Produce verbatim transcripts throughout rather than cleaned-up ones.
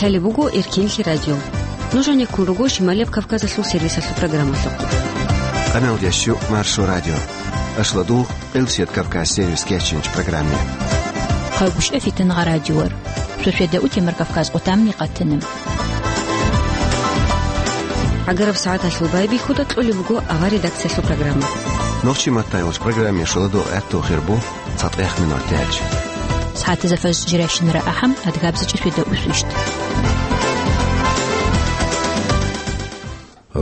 Лъалеб буго Эркенлъи радио. Нуж гьанеккун руго Шималияб Кавказалъул сервисалъул программалъухъ. Къаналдящу Маршо радио. Ашладул Къилсият Кавказ сервис кечинч программе. Хъагушев Фитангъа радиор. Суседа утемар Кавказ къутамни къатана. ГӀагараб сагӀаталъул байбихьуда кьолеб буго авар редакциялъул программа. Нохчи маттайолч программе шоладо гӀатту хирбу. ЦатӀехъ минуталъ. СагӀатазда фажр жирайщинара ахӀам, адгабзичӀи светда усвищ.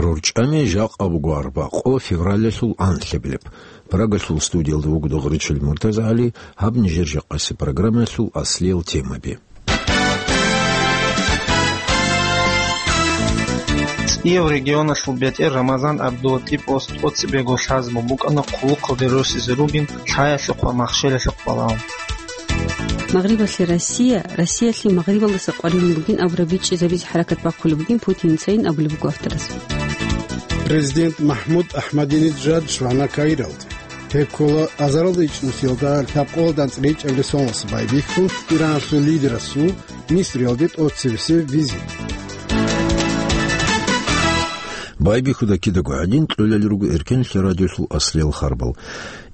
РорчӀами жакъа буго арбакъо февралалъул анлъабилеб. Прагалъул студиялда вуго Дугъричил МуртазагӀали, гьаб нижер жакъаси программаялъул аслиял темаби. ЦӀияв регионалъул бетӀер Рамазан ГӀабдулатӀиповас тӀоцебего лъазабун букӀана хъулухъалде росизе ругин лъаялъухъ ва махщелалъухъ балагьун. Магърибалъе Россия, Россиялъе Магърибалдаса къваригӀун бугин абураб бичӀчӀизабизе хӀаракат бахъулеб бугин Путин цайин абулеб буго авторас. Президент МахӀмуд АхӀмадинижад щвана Каиралде. Гьеб ккола азаралда ичӀнусиялда лъабкъоялда анцӀила ичӀабилеб соналъ байбихьун Ираналъул лидерасул Мисриялде тӀоцебесеб визит. Байбихьуда кидаго гӀадин кьолел руго Эркенлъи радиолъул аслиял харбал.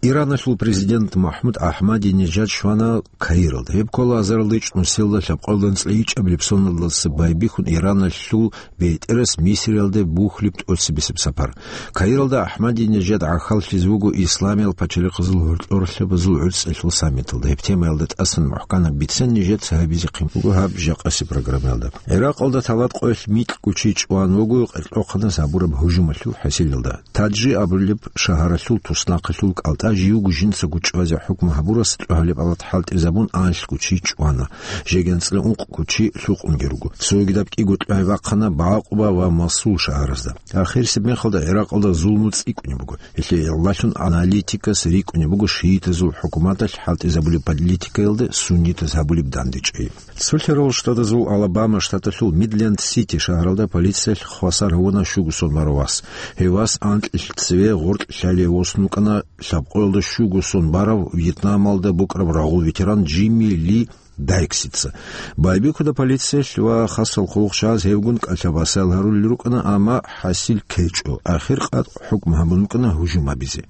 Ираналъул президент МахӀмуд АхӀмадинижад щвана Каиралда. Гьеб ккола азаралда ичӀнусиялда лъабкъоялда анцӀила ичӀабилеб соналдаса байбихьун Ираналъул бетӀерас Мисриялде бухьулеб тӀоцебесеб сапар. Каиралда АхӀмадинижад гӀахьаллъизе вуго исламиял пачалихъазул гӀоркьорлъабазул гӀуцӀралъул саммиталда. Гьеб темаялда тӀасан мухӀканаб бицен нижеца гьабизехъин буго гьаб жакъаси программаялда. ГӀиракъалда талат къоялъ микьго чи чӀван вуго къеркьохъанас гьабураб гьужумалъул хӀасилалда. Таджи абулеб шагьаралъул туснахъалъул кӀалтӀа живго жинцаго чӀвазе хӀукму гьабурас тӀогьалеб алат хӀалтӀизабун анлъго чи чӀвана, жеги анцӀила ункъго чи лъукъунги руго. Цогидаб кӀиго тӀогьай бахъана Баакъуба ва Масул шагьаразда. Ахирисеб мехалда ГӀиракъалда зулму цӀикӀкӀунеб буго. Гьелъие гӀолалъун аналитикас рикӀкӀунеб буго шиитазул хӀукуматалъ хӀалтӀизабулеб политикаялда суннитаз гьабулеб дандечӀей. Цолъарал Штатазул Алабама штаталъул Мидленд-Сити шагьаралда полициялъ хвасар гьавуна щуго сон барав вас. Гьев вас анкьилъ цеве гъоркь лъалие восун вукӀана лъабкъоялда щуго сон барав Вьетнамалда букӀараб рагъул ветеран Джимми Ли Дайксица. Байбихьуда полициялъ ва хасал хъулухъчияз гьевгун кӀалъабасал гьарулел рукӀана, амма хӀасил ккечӀо. Ахир къатӀ хӀукму гьабун букӀана гьужум гьабизе.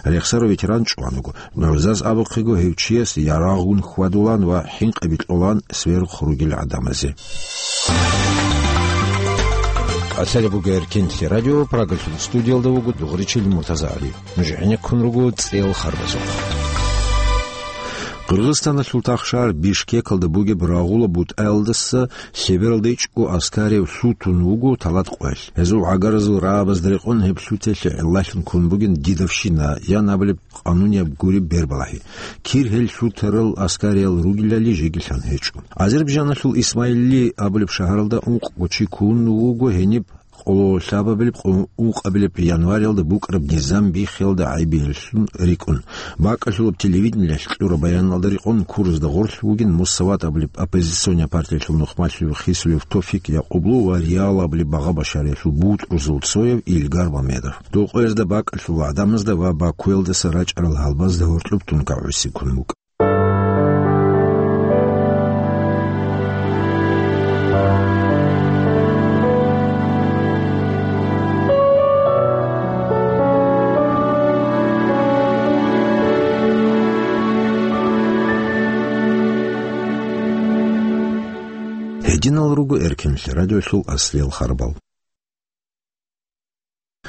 Рехсарав ветеран чӀван вуго. ГӀузаз абухъего, гьев чияс ярагъгун хьвадулан ва хӀинкъи бикьулан сверухъ ругел гӀадамазе. Лъалеб буго Эркенлъи радио, Прагалъул студиялда вуго Дугъричил МуртазагӀали. Нуж гӀенеккун руго цӀел харбазухъ. Къиргъизстаналъул тахшагьар Бишкекалда бугеб рагъула бутӀаялдаса лъебералда ичӀго аскарияб лъутун вуго талат къоялъ. Гьезул гӀагаразул рагӀабазда рекъон гьеб лъутиялъе гӀиллалъун ккун бугин дидовщина, ян абулеб къанунияб гуреб бербалагьи. Кир гьел лъутарал аскариял ругелали жеги лъан гьечӀо. Азербайджаналъул Исмаили абулеб шагьаралда ункъго чи ккун вуго гьениб къоло лъабабилеб, къо-, ункъабилеб январалда букӀараб низам биххиялда гӀайибилеллъун рикӀкӀун. БакӀалъулаб телевидениялъ кьураб баяналда рекъон куразда гъорлъ вугин Муссават абулеб оппозиционный партиялъул нухмалъулев Хисулев Тофик Якъублу ва Реал абулеб багъа-башариялъул бутӀрузул цояв Илгар Мамедов. Дов къоязда бакӀалъул гӀадамазда ва Бакуялдаса рачӀарал гьалбазда гьоркьоб тункагӀуси ккун букӀа. Гьединал руго Эркенлъи радиолъул аслиял харбал.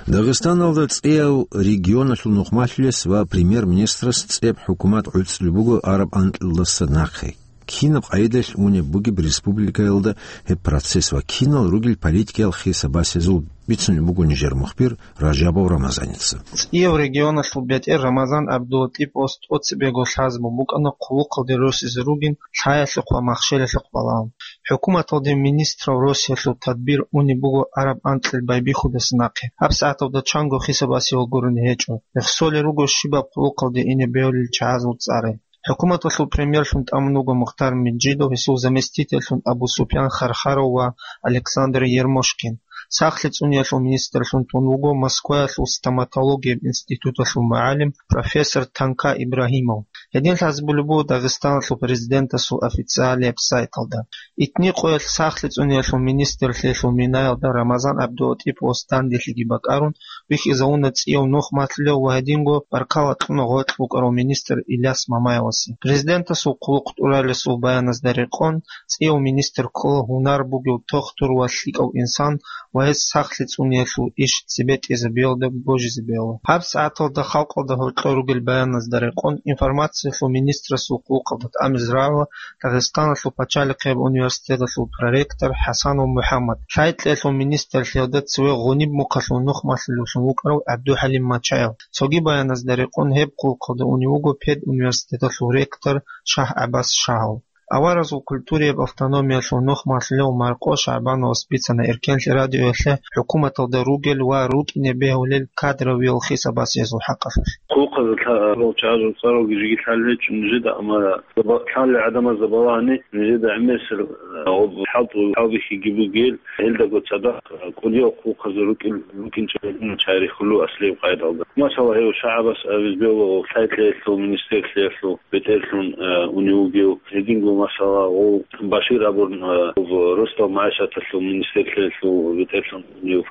Дагъистаналда цӀияв регионалъул нухмалъулес ва премьер-министрас цӀеб хӀукумат гӀуцӀулеб буго араб анкьилалдаса нахъе. Кинаб къайдалъ унеб бугеб республикаялда гьеб процесс ва кинал ругел политикиял хиса-басезул, бицунеб буго нижер мухбир Ражабов Рамазаница. ЦӀияв регионалъул бетӀер Рамазан ГӀабдулатӀиповас тӀоцебего лъазабун букӀана хъулухъалде росизе ругин лъаялъухъ ва махщелалъухъ балагьун. ХӀукуматалде министрал росиялъул тадбир унеб буго араб анкьил байбихьудаса нахъе. ГьабсагӀаталда чанго хиса-басиялъ гурони гьечӀо. Рехсолел руго щибаб хъулухъалде ине бегьулел чагӀазул цӀаре. ХӀукуматалъул премьерлъун тӀамун вуго Мухтар Меджидов, гьесул заместительлъун Абу Супьян Хархаров ва Александр Ермошкин. Сахлъи цӀуниялъул министрлъун тун вуго Москваялъул стоматологияб институталъул мугӀалим, профессор Танка Ибрагьимов. Гьедин лъазабулеб буго Дагъистаналъул президентасул официалияб сайталда. Итни къоялъ сахлъи цӀуниялъул министрлъиялъул минаялда Рамазан ГӀабдулатӀиповас данделъиги бакӀарун, вихьизавуна цӀияв нухмалъулев ва гьединго баркала кьуна гъоркь букӀарав министр Иляс Мамаевасе. Президентасул хъулухъ тӀуралесул баяназда рекъон, цӀияв министр ккола гьунар бугев тохтур ва лъикӀав инсан ва гьес сахлъи цӀуниялъул иш цебетӀезабиялда божизабиялда. ГьабсагӀаталда халкъалда гьоркьор ругел баяназда рекъон, информациялъул министрасул хъулухъалда тӀамизе рагӀула Дагъистаналъул пачалихъияб университеталъул проректор ХӀасанов МухӀаммад, лъай-кьеялъул министрлъиялда цеве Гъуниб мухъалъул нухмалъулевлъун вукӀарав ГӀабдухӀалим Мачаев. Цоги баяназда рекъон гьеб хъулухъалда унев вуго педуниверситеталъул ректор ШагьгӀаббас Шагьов. Аваразул культураяб автономиялъул нухмалъулев Маркъо ШагӀбановас бицана Эркенлъи радиоялъе хӀукуматалда ругел ва рукӀине бегьулел кадровиял хисабасиязул хӀакъалъулъ. Хъулухъазда лъа-, чагӀазул цӀаралги жеги лъалел гьечӀо нижеда, амма заба-, лъалел гӀадамазда балагьани, нижеда гӀемерисел, а, гъоб хӀалтӀу-, хӀалбихьиги бугел, гьелдаго цадахъ, а, кӀудиял хъулухъазда рукӀин-, рукӀинчӀеб гӀадамал чагӀи рихьулев аслияб къайдалда. Масала, гьев ШагӀгӀаббас абизе бегьула лъай-кьеялъул министрлъиялъул бетӀерлъун, а, унев вугев. Гьединго, масала, гъов Башир абун, а, гъов росдал магӀишаталъул министрлъиялъул бетӀерлъун унев,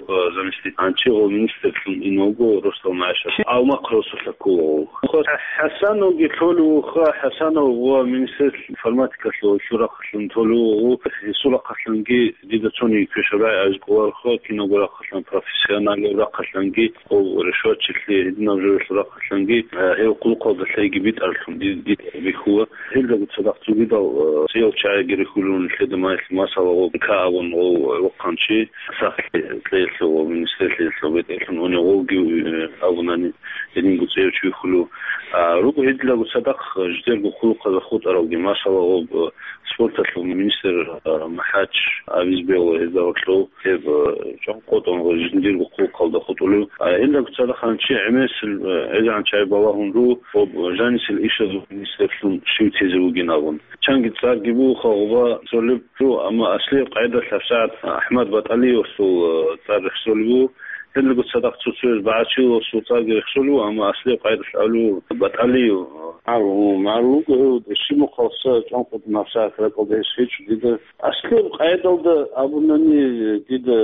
а, заместитель. Гьанчи гъов министрлъун ин вуго росдал магӀишат. Алма хъуралъа ккола гъов. ХӀасановги лъолев вуха, ХӀасанов ва министрлъ информатикалъул гьелъул рахъалъан лъолев вуго, гъов гьесул рахъалъанги дида цониги квешаб рагӀи абизе кӀолароха, кинабго рахъалъан, профессионалаб рахъалъанги, гъов ришватчилъи, гьединаб жо-, рахъалъанги, а, гьев хъулухъалда лъайги битӀаралъун ди-, дида бихьула. Гьелдаго цадахъ цогидал, а, цӀиял чагӀиги рихьулел нилъеда, ма-, масала, гъов Ка абун гъов вахъанчи, сахлъи кьеялъул ва министрлъиялъул бетӀерлъун унев гъовги, э, абунани, гьединго цӀияв чи вихьулев. А, руго гьединго цадахъ жидерго хъулухъазда хутӀаралги, масала, гъоб, э, спорталъул министр, э, МахӀач абизе бегьула гьезда гьоркьов, гьеб, э, чӀван къотӀун жиндирго хъулухъалда хутӀулев. А, гьелдаго цадахъ гьанчи гӀемерисел, э, гӀезегӀан чагӀи балагьун руго, гъоб жанисел ишазул министрлъун щив тезе вугин абун. Чанги цӀарги бугоха гъоба цолеб жо, амма аслияб къайдалъ гьабсагӀат АхӀмад БатӀалиевасул, э, цӀар рехсолеб буго. Гьелдаго цадахъ цо-цояз БагӀачиловасул цӀарги рехсолеб буго, амма аслияб къайдалъ абулеб БатӀалиев. Гьав, гьав, гьав, гьав, гьав, гьав, щиб мухъалса чӀван къотӀун гьабсагӀат ракӀалда гьес гьечӀо дида. Аслияб къайдалда абунани дида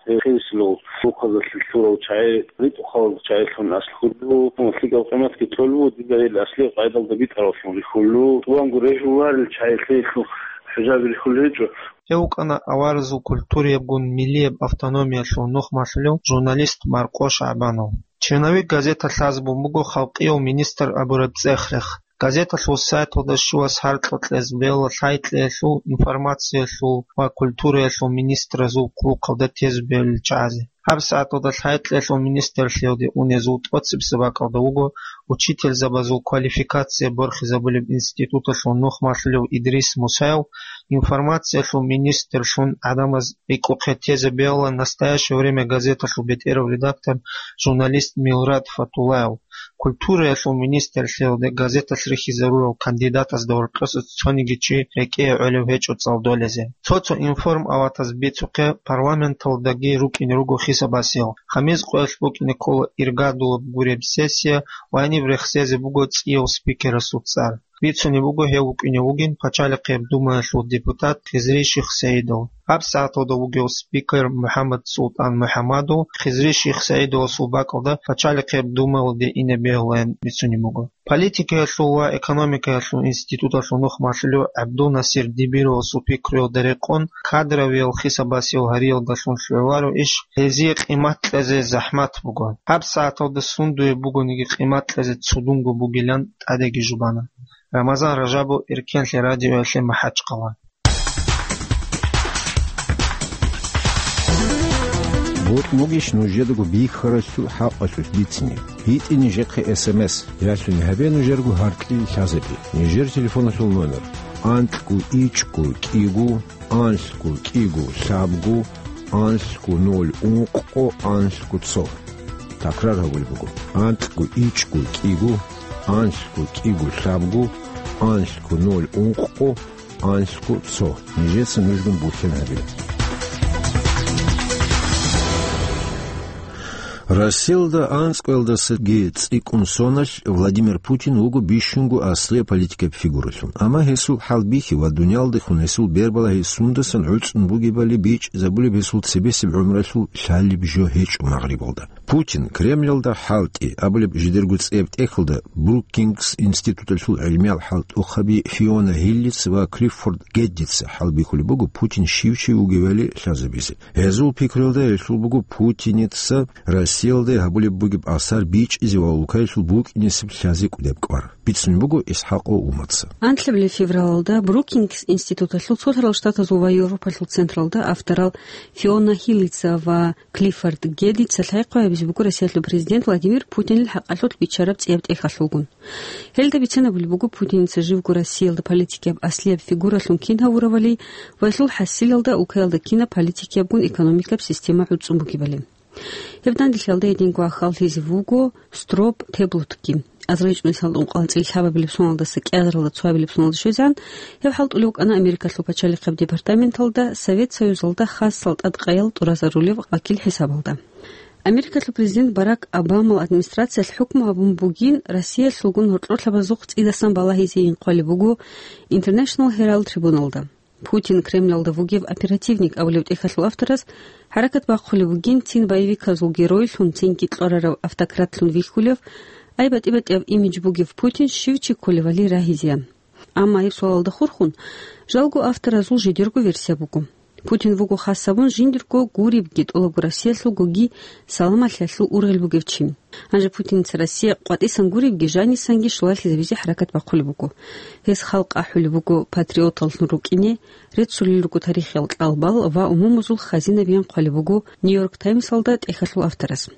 гьеб хирисилал хъулухъазда лъурал чагӀи, ритӀухъал чагӀилъун аслу хьуллу, лъикӀаб къиматги кьолу, дида гьел аслияб къайдалда битӀараллъун рихьулу, тӀубанго регьуларел чагӀилъеялъул хӀужаби рихьулел гьечӀо. Гьев вукӀана аваразул культураябгун миллияб автономиялъул нухмалъулев журналист Маркъо ШагӀбанов. Черновик газета лъазабун буго халкъияв министр абураб цӀех-рех. Газеталъул сайталда щивас гьаркьа кьезе бегьула лъай-кьеялъул, информациялъул ва культураялъул министразул хъулухъалда тезе бегьулел чагӀазе. ГьабсагӀаталда лъай-кьеялъул министрлъиялде унезул тӀоцебесеб бакӀалда вуго учительзабазул квалификация борхизабулеб институталъул нухмалъулев Идрис Мусаев, информациялъул министрлъун гӀадамаз рикӀухъе тезе бегьула «Настоящее время» газеталъул бетӀерав редактор, журналист Милрад Фатулаев. Культураялъул министрлъиялде газеталъ рихьизарурал кандидатазда гьоркьоса цониги чи рекӀее гӀолев гьечӀо цӀалдолезе. Цо-цо информаватаз бицухъе, парламенталдаги рукӀине руго хисабасиял. Хамиз къоялъ букӀине ккола иргадулаб гуреб сессия ва гьениб рехсезе буго цӀияв спикерасул цӀар. Бицунеб буго гьев вукӀине вугин Пачалихъияб Думаялъул депутат Хизри Шихсаидов. ГьабсагӀаталда вугев спикер МухӀаммад Султан МухӀаммадов Хизри Шихсаидовасул бакӀалда Пачалихъияб Думаялде ине бегьулаян бицунеб буго. Политикаялъул ва экономикаялъул институталъул нухмалъулев ГӀабдулнасир Дибировасул пикруялда рекъон, кадровиял хисабасиял гьариялдалъун лъугӀуларо иш гьезие къимат кьезе захӀмат буго. ГьабсагӀаталда сундуе бугониги къимат кьезе цудунго бугилан тӀадеги жубана. Рамазан Ражабов, Эркенлъи радиоялъе, МахӀачкъала. Бокь бугищ нужедаго бихьаралъул хӀакъалъулъ бицине? БитӀе нижехъе эс эм эс, ялъуни гьабе нужерго гьаркьил лъазабе. Нижер телефоналъул номер: анкьго ичӀго кӀиго, анлъго кӀиго лъабго, анлъго ноль ункъго, анлъго цо. Такрар гьабулеб буго: анкьго ичӀго кӀиго, анлъго кӀиго лъабго, анлъго ноль ункъго, анлъго цо. Нижеца нужгун буцен гьабе. Россиялда анцӀкӀоялдасаги цӀикӀкӀун соналъ Владимир Путин вуго бищунго аслияб политикаб фигуралъун. Амма гьесул хӀалбихьи ва дуниялалдехун гьесул бербалагьи сундасан гӀуцӀун бугебали бичӀчӀизабулеб гьесул цебесеб гӀумралъул лъалеб жо гьечӀо Магърибалда. Путин Кремлалда хӀалтӀи абулеб жидерго цӀияб тӀехьалда Брукингс институталъул гӀилмиял хӀалтӀухъаби Фиона Гиллиц ва Клиффорд Геддица хӀалбихьулеб буго Путин щив чи вугевали лъазабизе. Гьезул пикруялда гьелъул буго Путиница Россиялда гьабулеб бугеб асар бичӀчӀизе ва улкаялъул букӀинесеб лъазе кӀудеб кӀвар. Бицунеб буго ИсхӀакъ Умаца. Анлъабилеб февралалда Брукингс институталъул Цолъарал Штатазул ва Европалъул централда авторал Фиона Гиллица ва Клиффорд Геддица лъай-хъвай гьабизе буго Россиялъул президент Владимир Путинил хӀакъалъулъ биччараб цӀияб тӀехьалъулгун. Гьелда бицанабулеб буго Путиница живго Россиялда политикияб аслияб фигуралъун кин гьавуравали ва гьелъул хӀасилалда улкаялда кинаб политикиябгун экономикаб система гӀуцӀун бугебали. Гьеб данделъиялда гьединго ахьаллъизе вуго Строп Теблотги. АзарилчӀунесалда ункъоялда анцӀила лъабабилеб соналдаса кӀиазаралда цоабилеб соналда щвезегӀан, гьев хӀалтӀулев вукӀана Америкалъул пачалихъаб департаменталда Совет Союзалда хасал тӀадкъаял тӀуразарулев вакил хӀисабалда. Америкалъул президент Барак Обамал администрациялъ хӀукму гьабун бугин Россиялъулгун гьоркьорлъабазухъ цӀидасан балагьизейин хъвалеб буго International Herald Tribune-алда. Путин Кремлалда вугев оперативник абулев тӀехьалъул авторас хӀаракат бахъулеб бугин цин боевиказул геройлъун, цинги кьварарав автократлъун вихьулев, ай батӀи-батӀияб имидж бугев Путин щив чи кколевали рагьизеян. Амма гьеб суалалда хурхун, жалго авторазул жидерго версия буго. Путин вуго хас гьабун жиндирго гуребги тӀолабго Россиялъул гуги саламалъиялъул ургъел бугев чи. Гьанже Путиница Россия къватӀисан гуребги жанисанги щулалъизабизе хӀаракат бахъулеб буго. Гьес халкъ ахӀулеб буго патриоталлъун рукӀине, реццулел руго тарихиял кьалбал ва умумузул хазинабиян хъвалеб буго Нью-Йорк Таймсалда тӀехьалъул авторас.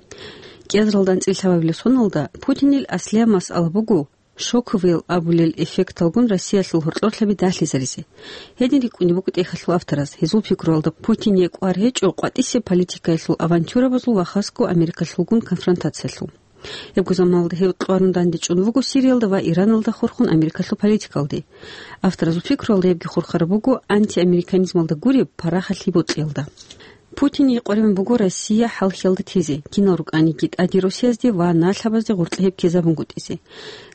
КӀиазаралда анцӀила лъабабилеб соналда Путинил аслияб масъала буго шоковыйал абулел эффекталгун Россиялъул гьоркьорлъаби далъизаризе. Гьедин рикӀкӀунеб буго тӀехьалъул авторас, гьезул пикруялда Путине кӀвар гьечӀо къватӀисеб политикаялъул авантюрабазул ва хасго Америкалъулгун конфронтациялъул. Гьебго заманалда гьев кьварун дандечӀун вуго Сириялда ва Ираналда хурхун Америкалъул политикалде. Авторазул пикруялда гьебги хурхараб буго антиамериканизмалда гуреб парахалъи бокьиялда. Путине къваригӀун буго Россия хӀалхьиялда тезе, кинал рукӀаниги тӀаде Россиязде ва налъабазде гъоркье гьеб ккезабунгутӀизе.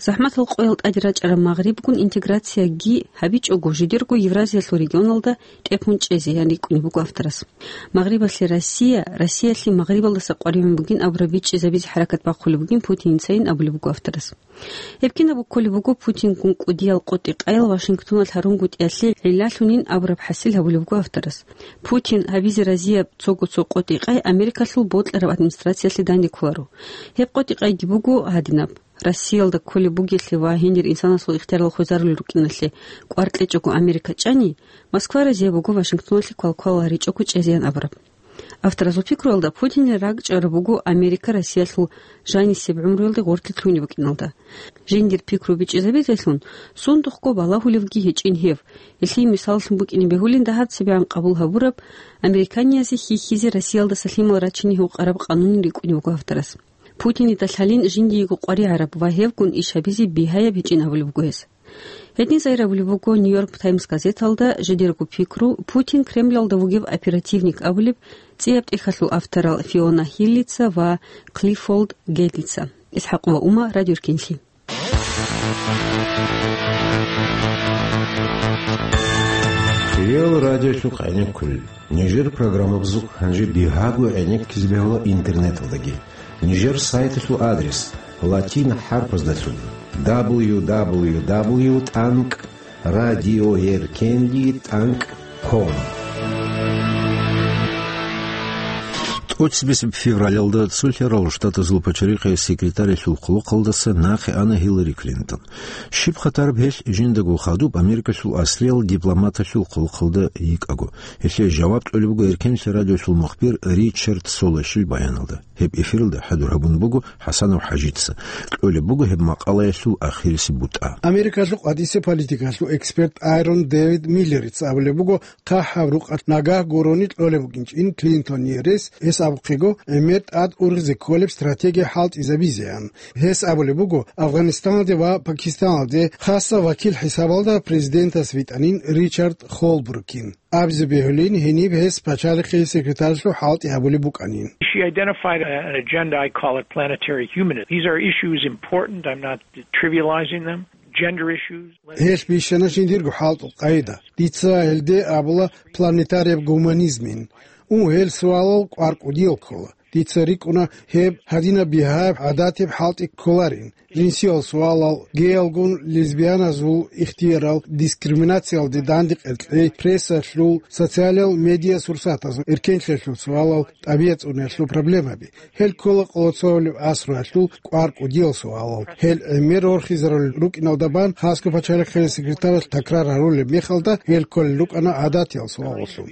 ЗахӀматал къоял тӀаде рачӀараб Магърибгун интеграцияги гьабичӀого, жидерго Евразиялъул регионалда тӀехун чӀезе, ян рикӀкӀунеб буго авторас. Магърибалъе Россия, Россиялъе Магърибалдаса къваригӀун бугин абураб бичӀчӀизабизе хӀаракат бахъулеб бугин Путиницайин абулеб буго авторас. Гьеб кинабго кколеб буго Путингун кӀудиял къотӀи-къаял Вашингтоналъ гьарунгутӀиялъе гӀиллалъунин абураб хӀасил гьабулеб буго авторас. Путин гьабизе разияб цого-цо къотӀи-къай Америкалъул бокьараб администрациялъе данде кколаро. Гьеб къотӀи-къайги буго гьадинаб: Россиялда кколеб бугелъе ва гьенир инсанасул ихтиярал хвезарулел рукӀиналъе кӀвар кьечӀого Америка чӀани, Москва разияб буго Вашингтоналъе квалквал гьаричӀого чӀезеян абураб. Авторазул пикруялда Путинил ракӀчӀараб буго Америка Россиялъул жанисеб гӀумруялде гъорлъе лъугьунеб букӀиналда. Жиндир пикру бичӀчӀизабизелъун сундухъго балагьулевги гьечӀин гьев. Гьелъие мисаллъун букӀине бегьулин дагьаб цебегӀан къабул гьабураб, американиязде хьихьизе Россиялдаса лъимал рачине гьукъараб къанунин рикӀкӀунеб буго авторас. Путинида лъалин жиндиего къваригӀараб ва гьевгун иш гьабизе бигьаяб гьечӀин абулеб буго гьес. Гьедин загьир абулеб буго Нью-Йорк Таймс газеталда жидерго пикру Путин Кремлалда вугев оперативник абулеб цӀияб тӀехьалъул авторал Фиона Гиллица ва Клиффорд Геддица. ИсхӀакъ ва Ума, Радио Эркенлъи. Хиял радиолъухъ гӀенеккулел. Нижер программабазухъ гьанже бигьаго гӀенеккизе бегьула интернеталдаги. Нижер сайталъул адрес латин хӀарпаздалъун: дабл ю дабл ю дабл ю тӀанкӀ радиоеркенлъи тӀанкӀ ком. ТӀоцебесеб февралалда Цолъарал Штатазул пачалихъе секретарялъул хъулухъалдаса нахъе ана Гьиллари Клинтон. Щиб хатараб гьелъ жиндаго хадуб Америкалъул аслиял дипломаталъул хъулухъалда йикӀаго. Гьелъие жаваб кьолеб буго Эркенлъи радиолъул мухбир Ричард Солощил баяналда. Гьеб эфиралда хӀадур гьабун буго ХӀасанов ХӀажица. Кьолеб буго гьеб макъалаялъул ахирисеб бутӀа. Америкалъул къватӀисе политикалъул эксперт Айрон Дэвид Миллерица абулеб буго, хъахӀаб рукъалъ нагагь гурони кьолеб букӀинчӀин Клинтоние рес, гьес аб- Гьеб гӀемер тӀад ургъизе кколеб стратегия хӀалтӀизабизеян. Гьес абулеб буго, Афганистаналде ва Пакистаналде хасса вакил хӀисабалда президентас витӀанин Ричард Холбрукин. Абизе бегьулин, гьениб гьес пачалихъе секретарьлъун хӀалтӀи гьабулеб букӀанин. She identified an agenda, I call it planetary humanism. These are issues important, I'm not trivializing them. Gender issues. Гьелъ бищана жиндирго хӀалтӀул къайда. Дица гьелде абула планетарияб гуманизмин. Ун, гьел суалал кӀвар кӀудиял ккола. Дица рикӀкӀуна, гьеб гьадинаб бигьаяб гӀадатиб хӀалтӀи кколарин. Жинсиял суалал, гейалгун лесбияназул ихтиярал, дискриминациялде дандекъер кьей, прессалъул, социалал медиа сурсатазул, эркенлъиялъул суалал, тӀабигӀат цӀуниялъул проблемаби. Гьел ккола къоло цоялъул асруялъул кӀвар кӀудиял суалал. Гьел гӀемер рорхизарулел рукӀиналда бан хасго пачалихъе секретаралъ такрар гьарулеб мехалда, гьел кколел рукӀана гӀадатиял суалаллъун.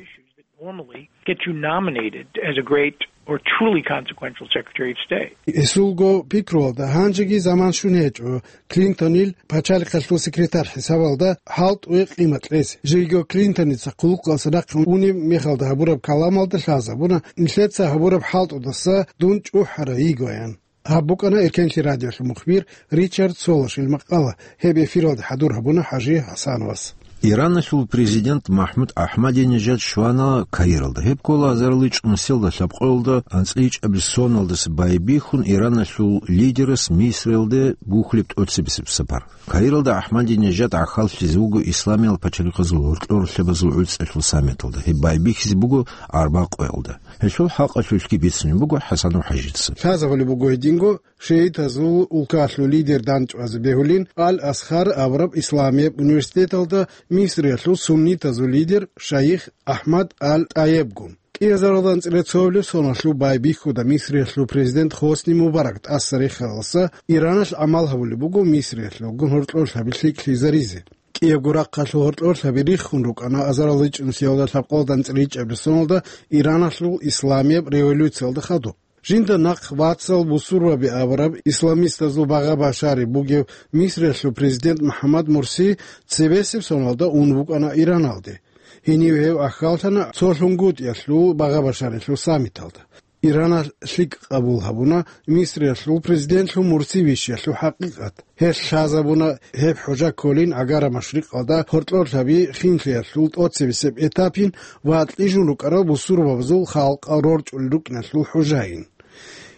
Normally get you nominated as a great or truly consequential Secretary of State. Гьесулго пикруялда, гьанжеги заман щун гьечӀо Клинтонил пачалихъалъул секретарь хӀисабалда хӀалтӀуе къимат кьезе. Жеги Клинтоница хъулухъалъа нахъе унеб мехалда гьабураб каламалда лъазабуна, нилъеца гьабураб хӀалтӀудаса дун чӀухӀарай йигоян. Гьаб букӀана Эркенлъи радиолъул мухбир Ричард Солошил макъала. Гьеб эфиралде хӀадур гьабуна ХӀажи ХӀасановас. Ираналъул президент МахӀмуд АхӀмадинежад щвана Каиралда. Гьеб ккола азарилчӀунусиялда лъабкъоялда анцӀила ичӀабилеб соналдаса байбихьун Ираналъул лидерас Мисриялде бухьулеб тӀоцебесеб сапар. Каиралда АхӀмадинежад гӀахьаллъизе вуго исламиял пачалихъазул гьоркьор лъабазул гӀуцӀиялъул саммиталда. Гьеб байбихьизе буго арбакъоялда. Гьелъул хӀакъалъулъги бицунеб буго ХӀасанов ХӀажица. Лъазабулеб буго гьединго, шиитазул улкалъул лидер дандчӀвазе бегьулин Ал-Азхар абураб исламияб университеталда Мисриялъул суннитазул лидер шайих АхӀмад Ал-ТӀайебгун. КӀиазаралда анцӀила цоабилеб соналъул байбихьуда Мисриялъул президент Хосни Мубарак тӀаса рехиялдаса Ираналъ гӀамал гьабулеб буго Мисриялъулгун гьоркьорлъаби лъикӀлъизаризе. КӀиябго рахъалъул гьоркьорлъаби риххун рукӀана азарилчӀунусиялда лъабкъоялда анцӀила ичӀабилеб соналда Ираналъул исламияб революциялда хадуб. Жинда нахъ вацал бусурбаби абураб исламистазул Багъа Башари бугев Мисриялъул президент МухӀаммад Мурси цебесеб соналда ун вукӀана Ираналде. Гьенив гьев ахьаллъана цо лъунгутӀиялъул Багъа Башарилъул саммиталда. Ираналъ лъикӀ къабул гьабуна Мисриялъул президентлъун Мурси вищиялъул хӀакъикъат. Гьелъ лъазабуна гьеб хӀужа кколин Агара машрикъалда гьоркьорлъаби хинлъиялъул тӀоцебесеб этапин ва кьижун рукӀарал бусурбабазул халкъал рорчӀулел рукӀиналъул хӀужаин.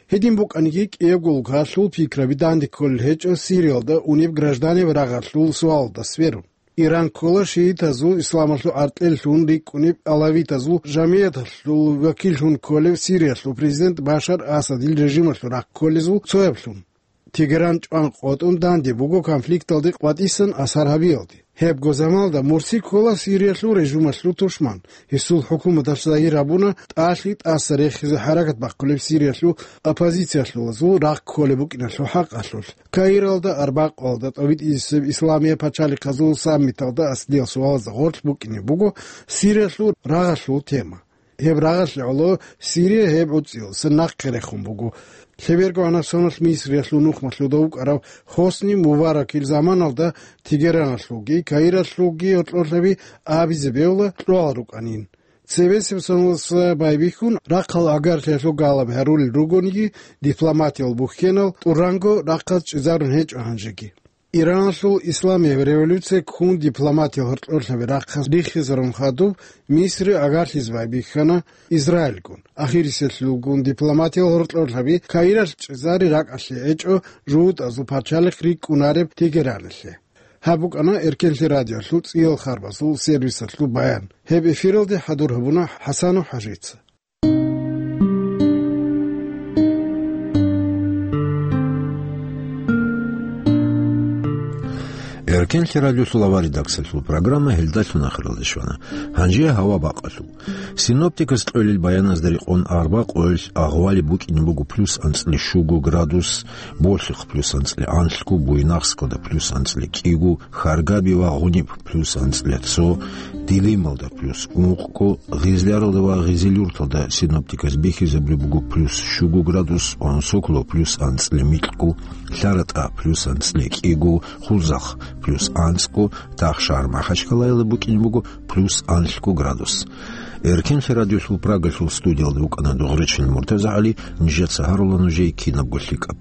Гьедин букӀаниги, кӀиябго улкалъул пикраби данде кколел гьечӀо Сириялда унеб гражданиял рагъалъул суалалда сверун. Иран ккола шиитазул исламалъул гӀаркьеллъун рикӀкӀунеб алавитазул жамигӀаталъул вакиллъун кколев Сириялъул президент Башар Асадил режималъул рахъ кколезул цояблъун. Тегеран чӀван къотӀун данде буго конфликталде къватӀисан асар гьабиялде. Гьебго заманалда Мурси ккола Сириялъул режималъул тушман. Гьесул хӀукуматалъ загьир гьабуна тӀалъи тӀаса рехизе хӀаракат бахъулеб Сириялъул оппозициялъулазул рахъ кколеб букӀиналъул хӀакъалъулъ. Каиралда арбакъалда тӀобитӀизесеб исламияб пачалихъазул саммиталда аслиял суалазда гъорлъ букӀине буго Сириялъул рагъалъул тема. Гьеб рагъалъе гӀоло Сирия гьеб гӀуцӀиял сенахъе рехун буго. Лъеберго гӀанасаналъ Мисриялъул нухмалъуда вукӀарав Хосни Мубаракил заманалда Тегераналъулги Каиралъулги гьоркьорлъаби абизе бегьула кьогӀал рукӀанин. Цебесеб соналдаса байбихьун, рахъал агарлъиялъул галаб гьарулел ругониги, дипломатиял бухьенал тӀуранго рахъаз чӀезарун гьечӀо гьанжеги. Ираналъул исламияб революция ккун дипломатиял гьоркьорлъаби рахъаз риххизарун хадуб, Мисри агарлъизе байбихьана Израильгун. Ахириселъулгун дипломатиял гьоркьорлъаби Каиралъ чӀезари ракӀалъе гьечӀо жугьутӀазул пачалихъ рикӀкӀунареб Тегераналъе. Гьаб букӀана Эркенлъи радиолъул цӀиял харбазул сервисалъул баян. Гьеб эфиралде хӀадур гьабуна ХӀасанов ХӀажица. Эркенлъи радиолъул авария редакциялъул программа гьелдалъун ахиралде щвана. Гьанже гьава бакъалъул. Синоптикас кьолел баяназда рекъон арбакъоялъ агъвали букӀине буго плюс анцӀила щуго градус, Болъихъ плюс анцӀила анлъго, Буйнакскалда плюс анцӀила кӀиго, Харгаби ва Гъуниб плюс анцӀила цо, Дилималда плюс ункъго, Гъизляралда ва Гъизилюрталда синоптиказ бихьизабулеб буго плюс щуго градус, Онсоколо плюс анцӀила микьго, ЛъаратӀа плюс анцӀила кӀиго, Хулзахъ плюс анцӀго, Тахшагьар МахӀачкъалаялда букӀине буго плюс анлъго градус. Эркенлъи радиолъул Прагалъул студиялда вукӀана Дугъричин МуртазагӀали, нижеца гьарула нужее кинабго лъикӀаб.